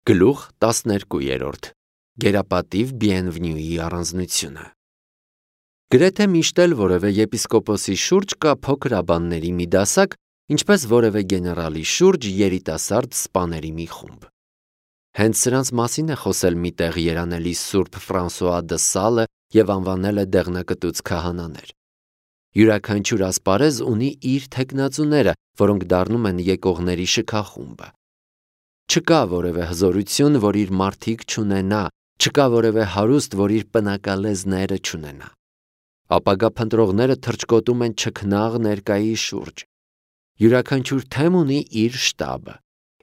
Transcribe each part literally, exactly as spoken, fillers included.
Գլուխ տասներկու Գերապատիվ Բիենվնյուի առանձնությունը։ Գրեթե միշտ էլ որևէ եպիսկոպոսի շուրջ կա փոքր աբանների մի դասակ, ինչպես որևէ գեներալի շուրջ երիտասարդ սպաների մի խումբ։ Հենց սրանց մասին է խոսել մի տեղ երանելի Սուրբ Ֆրանսուଆ դը Սալը և անվանել է դեղնակտուց քահանաներ։ Յուրաքանչյուր ասպարեզ ունի իր թեկնածուները, որոնք դառնում են եկողների շքախումբը։ Չկա որևէ հզորություն, որ իր մարդիկ չունենա, չկա որևէ հարուստ, որ իր պնակալեզները չունենա։ Ապագա փնտրողները թռչկոտում են չքնաղ ներկայի շուրջ։ Յուրաքանչյուր թեմ ունի իր շտաբը։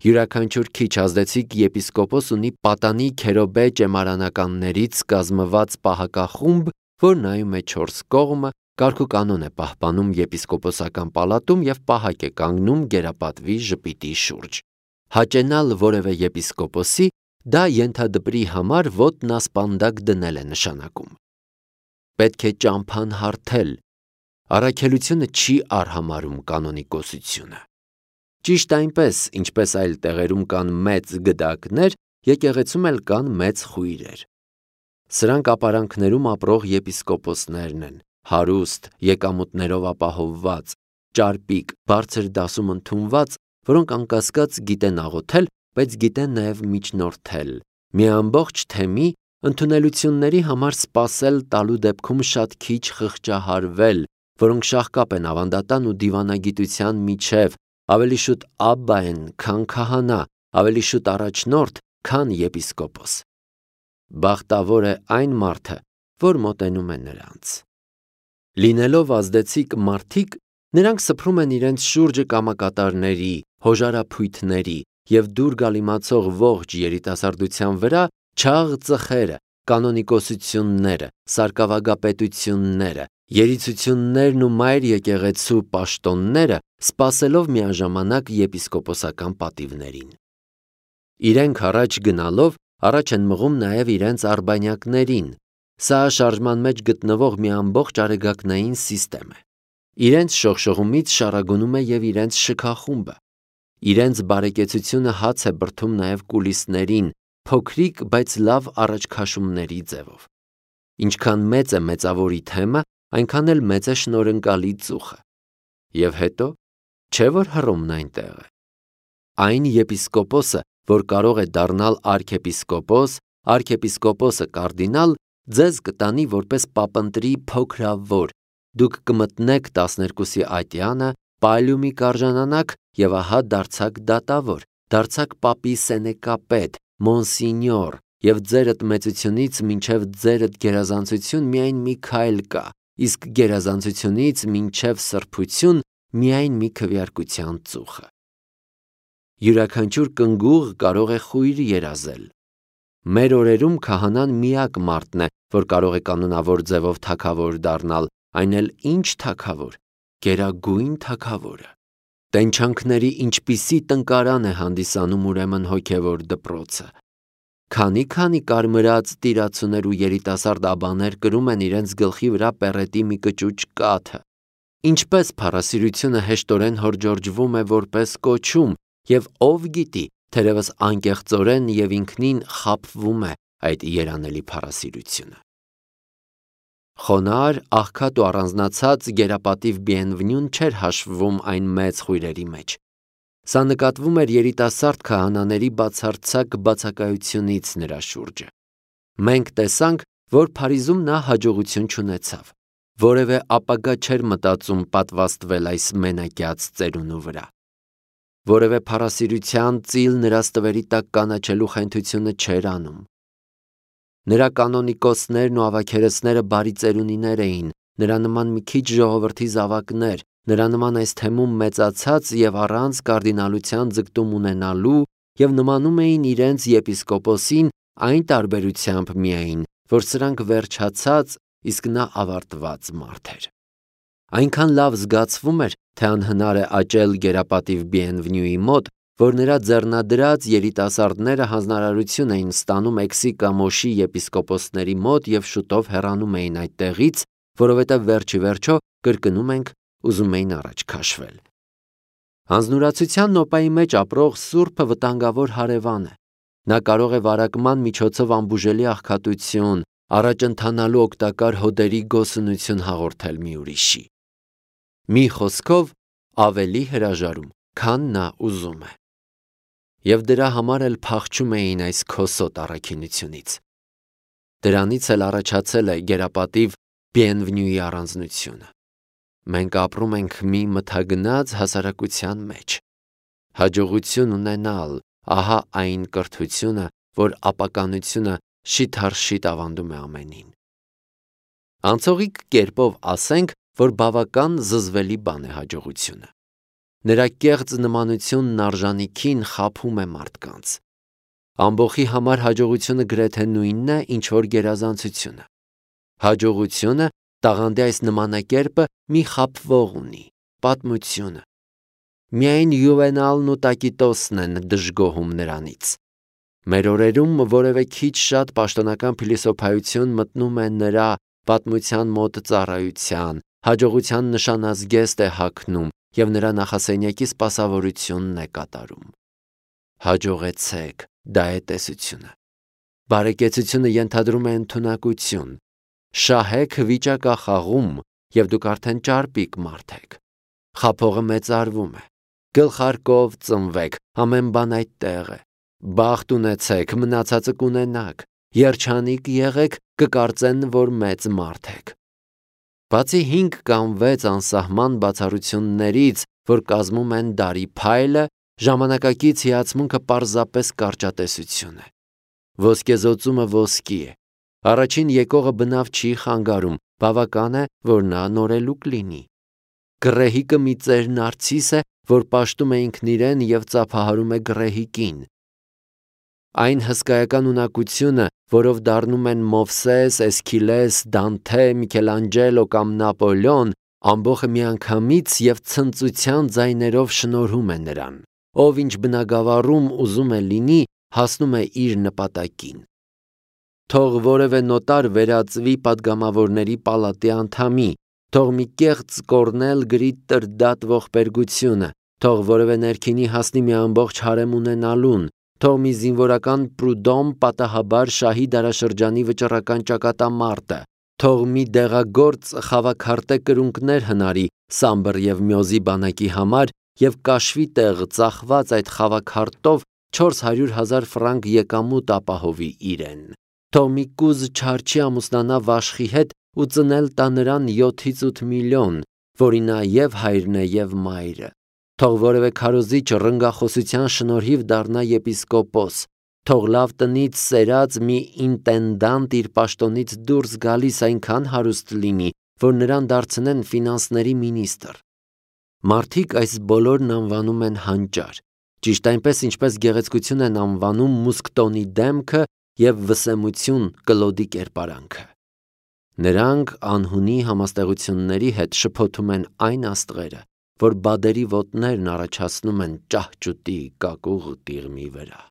Յուրաքանչյուր քիչ ազդեցիկ եպիսկոպոս ունի պատանի քերոբե ճեմարանականներից կազմված պահակախումբ, որ նայում է չորս կողմը, կարգուկանոն է պահպանում եպիսկոպոսական պալատում և պահակ է կանգնում գերապատվի ժպիտի շուրջ։ Հաճենալ որևէ եպիսկոպոսի դա ենթադպրի համար ոտն ասպանդակ դնել է նշանակում։ Պետք է ճամփան հարթել։ Առաքելությունը չի արհամարհում կանոնիկոսությունը։ Ճիշտ այնպես, ինչպես այլ տեղերում կան մեծ գդակներ, եկեղեցում էլ կան մեծ խույրեր։ Սրանք ապարանքներում ապրող եպիսկոպոսներն են, հարուստ, եկամուտներով ապահովված, ճարպիկ, բարձր դասում ընդունված, որոնք անկասկած գիտեն աղոթել, բայց գիտեն նաև միջնորդել, մի ամբողջ թեմի ընդունելությունների համար սպասել տալու դեպքում շատ քիչ խղճահարվել, որոնք շաղկապ են ավանդատան ու դիվանագիտության միջև, ավելի շուտ աբբա են, քան քահանա, ավելի շուտ առաջնորդ, քան եպիսկոպոս։ Բախտավոր է այն մարդը, որ մոտենում է նրանց։ Լինելով ազդեցիկ մարդիկ, նրանք սփռում են իրենց շուրջը կամակատարների, հոժարափույթների և դուր գալիմացող ողջ երիտասարդության վրա չաղ ծխերը, կանոնիկոսությունները, սարկավագապետությունները, երիցություններն ու մայր եկեղեցու պաշտոնները, սպասելով միաժամանակ եպիսկոպոսական պատիվներին։ Իրենք առաջ գնալով առաջ են մղում նաև իրենց արբանյակներին։ Սա շարժման մեջ գտնվող մի ամբողջ արեգակնային սիստեմ է։ Իրենց շողշողումից շառագունում է և իրենց շքախումբը։ Իրենց բարեկեցությունը հաց է բրդում նաև կուլիսներին, փոքրիկ, բայց լավ առաջքաշումների ձևով։ Ինչքան մեծ է մեծավորի թեմը, այնքան էլ մեծ է շնորհընկալի ծուխը։ Եվ հետո, չէ՞ որ Հռոմն այնտեղ է։ Այն եպիսկոպոսը, որ կարող է դառնալ արքեպիսկոպոս, արքեպիսկոպոսը կարդինալ, ձեզ կտանի որպես պապընտրի փոքրավոր, դուք կմտնեք տասներկուսի ատյանը, պալիումի կարժանանաք և ահա դարձաք դատավոր, դարձաք պապի սենեկապետ, մոնսինյոր, և ձերդ մեծությունից մինչև ձերդ գերազանցություն միայն մի քայլ կա, իսկ գերազանցությունից մինչև սրբություն միայն մի քվեարկության ծուխը։ Յուրաքանչյուր կնգուղ կարող է խույր երազել։ Մեր օրերում քահանան միակ մարդն է, որ կարող է կանոնավոր ձևով թագավոր դառնալ, այն էլ ինչ թագավոր, գերագույն թագավորը։ Տենչանքների ինչպիսի տնկարան է հանդիսանում ուրեմն հոգևոր դպրոցը։ Քանի-քանի կարմրած տիրացուներ ու երիտասարդ աբաներ կրում են իրենց գլխի վրա պեռետի մի կճուճ կաթը։ Ինչպես փառասիրությունը հեշտորեն հորջորջվում է որպես կոչում, և ով գիտի, թերևս անկեղծորեն և ինքնին խաբվում է այդ երանելի փառասիրությունը։ Խոնարհ, աղքատ ու առանձնացած գերապատիվ Բիենվնյուն չէր հաշվվում այն մեծ խույրերի մեջ։ Սա նկատվում էր երիտասարդ քահանաների բացարձակ բացակայությունից նրա շուրջը։ Մենք տեսանք, որ Փարիզում նա հաջողություն չունեցավ։ Որևէ ապագա չէր մտածում պատվաստվել այս մենակյաց ծերունու վրա։ Որևէ փառասիրության ծիլ նրա ստվերի տակ կանաչելու խենթությունը չէր անում։ Նրա կանոնիկոսներն ու ավագերեսները բարի ծերունիներ էին, նրա նման մի քիչ ժողովրդի զավակներ, նրա նման այս թեմում մեծացած և առանց կարդինալության ձգտում ունենալու և նմանում էին իրենց եպիսկոպոսին այն տարբերությամբ միայն, որ սրանք վերջացած, իսկ նա ավարտված մարդ էր։ Այնքան լավ զգացվում էր, թե անհնար է աճել գերապատիվ Բիենվնյուի մոտ, որ նրա ձեռնադրած երիտասարդները հանձնարարություն էին ստանում Էքսի-Կամոշի եպիսկոպոսների մոտ և շուտով հեռանում էին այդտեղից, որովհետև վերջիվերջո, կրկնում ենք, ուզում էին առաջ քաշվել։ Հանձնուրացության նոպայի մեջ ապրող սուրբը վտանգավոր հարևան է։ Նա կարող է վարակման միջոցով ամբուժելի աղքատություն, առաջընթանալու օգտակար հոդերի գոսունություն հաղորդել մի ուրիշի։ Մի խոսքով ավելի հրաժարում, քան նա ուզում է։ Եվ դրա համար էլ փախչում էին այս քոսոտ առաքինությունից։ Դրանից էլ առաջացել է գերապատիվ Բիենվնյուի առանձնությունը։ Մենք ապրում ենք մի մթագնած հասարակության մեջ։ Հաջողություն ունենալ, ահա այն կրթությունը, որ ապականությունը շիթ-առ-շիթ ավանդում է ամենին։ Անցողիկ կերպով ասենք, որ բավական զզվելի բան է հաջողությունը։ Նրա կեղծ նմանությունն արժանիքին խաբում է մարդկանց։ Ամբոխի համար հաջողությունը գրեթե նույնն է, ինչ որ գերազանցությունը։ Հաջողությունը տաղանդի այս նմանակերպը մի խաբվող ունի՝ պատմությունը։ Միայն Յուվենալն ու Տակիտոսն են դժգոհում նրանից։ Մեր օրերում որևէ քիչ շատ պաշտոնական փիլիսոփայություն մտնում է նրա պատմության մոտ ծառայության, հաջողության նշանազգեստ է հագնում և նրա նախասենյակի սպասավորությունն է կատարում։ Հաջողեցեք, դա է տեսությունը։ Բարեկեցությունը ենթադրում է ընդունակություն։ Շահեք վիճակախաղում, և դուք արդեն ճարպիկ մարդ եք։ Խաբողը մեծարվում է։ Գլխարկով ծնվեք, ամեն բան այդտեղ է։ Բախտ ունեցեք, մնացածը կունենաք։ Երջանիկ եղեք, կկարծեն, որ մեծ մարդ եք։ Բացի հինգ կամ վեց անսահման բացառություններից, որ կազմում են դարի փայլը, ժամանակակից հիացմունքը պարզապես կարճատեսություն է։ Ոսկեզօծումը ոսկի է։ Առաջին եկողը բնավ չի խանգարում, բավական է, որ նա նորելուկ լինի։ Գռեհիկը մի ծեր նարցիս է, որ պաշտում է ինքն իրեն և ծափահարում է գռեհիկին։ Այն հսկայական ունակությունը, որով դառնում են Մովսես, Էսքիլես, Դանթե, Միքելանջելո կամ Նապոլեոն, ամբոխը միանգամից և ցնծության ձայներով շնորհում է նրան։ Ով ինչ բնագավառում ուզում է լինի, հասնում է իր նպատակին։ Թող որևէ նոտար վերածվի պատգամավորների պալատի անդամի, թող մի կեղծ կոռնել գրի տրդատ ողբերգությունը, թող որևէ ներքինի հասնի մի ամբողջ հարեմ ունենալուն, թող մի զինվորական Պրուդոմ պատահաբար շահի դարաշրջանի վճռական ճակատամարտը, թող մի դեղագործ խավաքարտե կրունկներ հնարի Սամբր և Մյոզի բանակի համար և կաշվի տեղ ծախված այդ խավաքարտով չորս հարյուր հազար ֆրանկ եկամուտ ապահովի իրեն։ Թող մի կուզ չարչի ամուսնանա Վաշխի հետ ու ծնել տա նրան յոթից ութ միլիոն, որի նա և հայրն է և մայրը։ Թող որևէ քարոզիչ ռնգախոսության շնորհիվ դառնա եպիսկոպոս, թող լավ տնից սերած մի ինտենդանտ իր պաշտոնից դուրս գալիս այնքան հարուստ լինի, որ նրան դարձնեն ֆինանսների մինիստր։ Մարդիկ այս բոլորն անվանում են հանճար, ճիշտ այնպես, ինչպես գեղեցկություն են անվանում Մուսկտոնի դեմքը և վսեմություն Կլոդի կերպարանքը։ Նրանք անհունի համաստեղությունների հետ շփոթում են այն աստղերը, որ բադերի ոտներն առաջացնում են ճահճուտի կակուղ տիղմի վրա։